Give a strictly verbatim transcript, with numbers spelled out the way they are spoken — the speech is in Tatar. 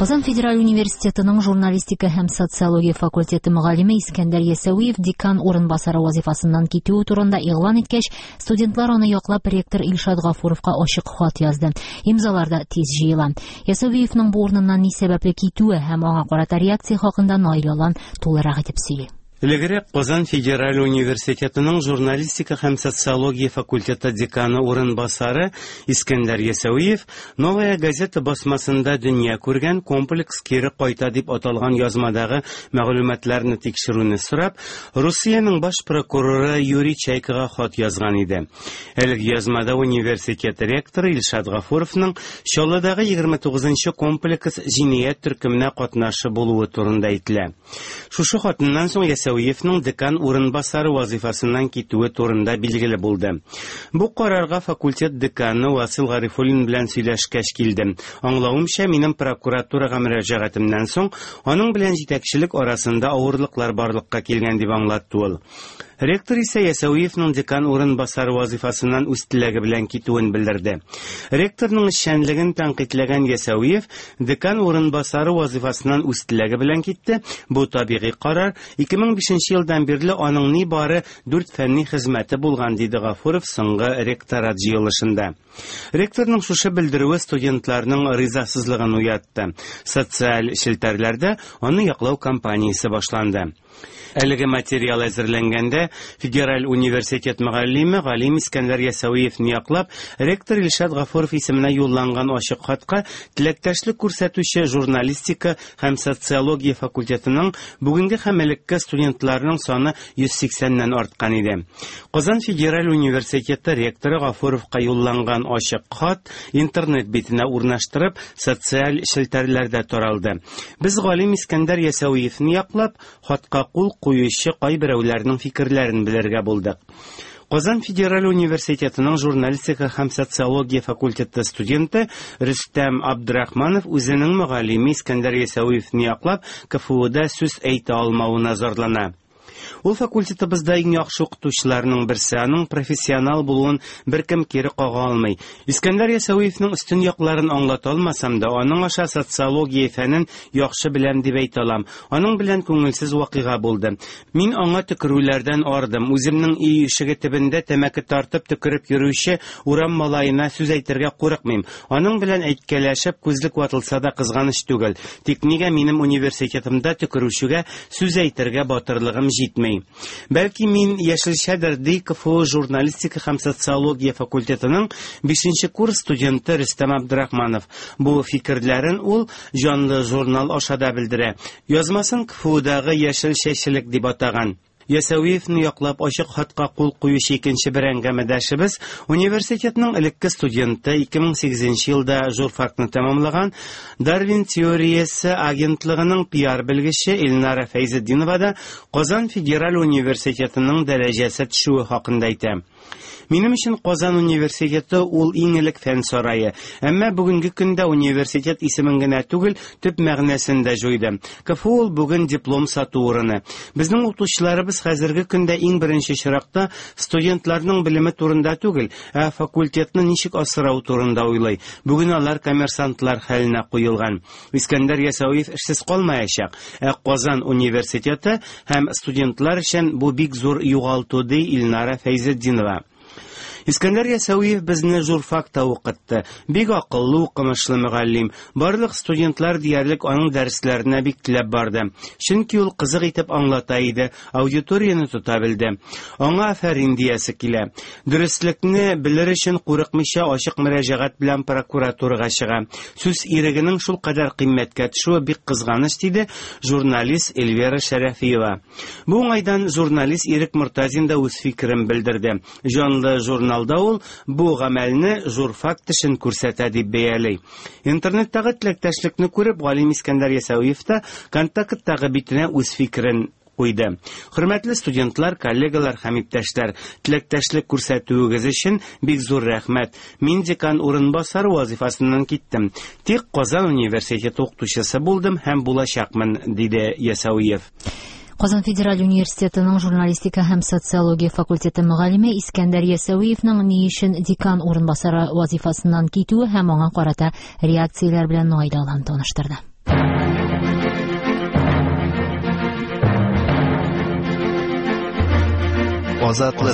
Казан федераль университетының журналистика һәм социология факультеты мөгаллиме Искәндәр Ясәвиев декан урынбасары вазифасыннан китүе турында игълан иткәч, студентлар аны яклап ректор Илшат Гафуровка ачык хат язды. Имзалар да тиз җыела. Ясәвиевның бу урыныннан ни сәбәпле китүе һәм аңа карата реакция хакында Наил Алан тулырак итеп сөйли. Элегрәк Казан федераль университетының журналистика һәм социология факультеты деканы урынбасары Искәндәр Ясәвиев «Новая газета» басмасында дөнья күргән «Комплекс кире кайта» дип аталган язмадагы мәгълүматларны тикшерүне сорап, Русиянең баш прокуроры Юрий Чайкага хат язган иде. Әлеге язмада университет ректоры Илшат Гафуровның Чаллыдагы егерме тугызынчы комплекс җинаять төркеменә катнашы булуы турында әйтелә. Шушы хатыннан соң Ясәвиевның декан урынбасары вазифасыннан китүе турында билгеле булды. Бу карарга факультет деканы Васил Гарифуллин белән сөйләшкәч килдем. Аңлавымча, минем прокуратурага мөрәҗәгатемнән соң аның белән җитәкчелек арасында авырлыклар барлыкка килгән дип аңлатты ул. Ректор исә Ясәвиевның декан урынбасары вазифасыннан үз теләге белән китүен белдерде. Ректорның эшчәнлеген тәнкыйтьләгән Ясәвиев декан урынбасары вазифасыннан үз теләге белән китте. Бу табигый карар. ике мең бишенче елдан бирле аның ни бары дүрт фәнни хезмәте булган, диде Гафуров соңгы ректорат җыелышында. Ректорның шушы белдерүе студентларның ризасызлыгын уятты. Социаль челтәрләрдә аны яклау кампаниясе башланды. Әлеге материал әзерләнгәндә Федераль университет мөгаллиме галим Искәндәр Ясәвиевне яклап, ректор Илшат Гафуров исеменә юлланган ачык хатка теләктәшлек күрсәтүче журналистика һәм социология факультетының бүгенге һәм элекке студентларының саны йөз сиксәннән арткан иде. Казан федераль университеты ректоры Гафуровка юлланган ачык хат интернет битенә урнаштырып, социаль челтәрләрдә таралды. Без галим Искәндәр Ясәвиевне яклап, хатка кул куючы кайберәүләрнең фикерләрен белергә булдык. Казан федераль университетының журналистика һәм социология факультеты студенты Рөстәм Абдрахманов үзенең мөгаллиме Искәндәр Ясәвиевне яклап, КФУда сүз әйтә алмавына зарлана. Ул факультетыбызда иң яхшы укытучыларның берсе, аның профессионал булуын беркем кире кага алмый. Искәндәр Ясәвиевнең өстен якларын аңлата алмасам да, аның аша социология фәнен яхшы беләм дип әйтә алам. Аның белән күңелсез вакыйга булды. Мин аңа төкерүләрдән ардым. Үземнең өй ишеге төбендә тәмәке тартып төкереп йөрүче урам малаена сүз әйтергә курыкмыйм. Аның белән әйткәләшеп күзлек ватылса да кызганыч түгел. Тик нигә минем университетымда төкерүчегә сүз әйтергә батырлыгым җитми? Бәлки мин яшелчәдер, ди КФУ журналистика һәм социология факультетының бишенче курс студенты Рөстәм Абдрахманов. Бу фикерләрен ул җанлы журнал аша да белдерә. Язмасын КФУдагы яшел чәчелек дип атаган. Ясәвиевне яклап ачык хатка кул куючы икенче бер әңгәмәдәшебез университетның элекке студенты, ике мең сигезенче елда журфакны тәмамлаган Дарвин теориясе агентлыгының пиар белгече Эльнара Фәйзетдинова да Казан федераль университетының дәрәҗәсе төшүе хакында әйтә. Минем өчен Казан университеты ул иң элек фән сарае. Әмма бүгенге көндә университет исемен генә түгел, төп мәгънәсен дә җуйды. КФУ ул бүген диплом сату урыны. Безнең укытучыларыбыз хәзерге көндә иң беренче чиракта студентларның белеме турында түгел, ә факультетны ничек асрау турында уйлый. Бүген алар коммерсантлар хәленә куелган. Искәндәр Ясәвиев эшсез калмаячак, ә Казан университеты һәм студентлар өчен бу бик зур югалту, ди Илнара Фәйзетдинова. Искәндәр Ясәвиев безне журфакта укытты. Бик акыллы, укымышлы мөгаллим. Барлык студентлар диярлек аның дәресләренә бик теләп барды. Чөнки ул кызык итеп аңлата иде, аудиторияне тота белде. Аңа афәрин диясе килә. Дөреслекне белер өчен курыкмыйча ачык мөрәҗәгать белән прокуратурага чыга. Сүз ирегенең шул кадәр кыйммәткә төшүе бик кызганыч, диде журналист Эльвира Шәрәфиева. Бу уңайдан журналист Ирек Мортазин да үз фикерен белдерде. Җанлы журнал Алда ул бу гамәлне журфак тешен күрсәтә дип бәяли. Интернеттагы теләктәшлекне күреп, галим Искәндәр Ясәвиев та контакттагы битенә үз фикерен куйды. Хөрмәтле студентлар, коллегалар һәм иптәшләр, теләктәшлек күрсәтүегез өчен бик зур рәхмәт. Мин декан урынбасары вазифасыннан киттем. Тик Казан университеты укытучысы булдым һәм булачакмын, диде Ясәвиев. Казан федераль университетының журналистика һәм социология факультеты мөгаллиме Искәндәр Ясәвиевның ни өчен декан урынбасары вазифасыннан китүе һәм аңа карата реакцияләр белән Наил Алан таныштырды. Азатлык.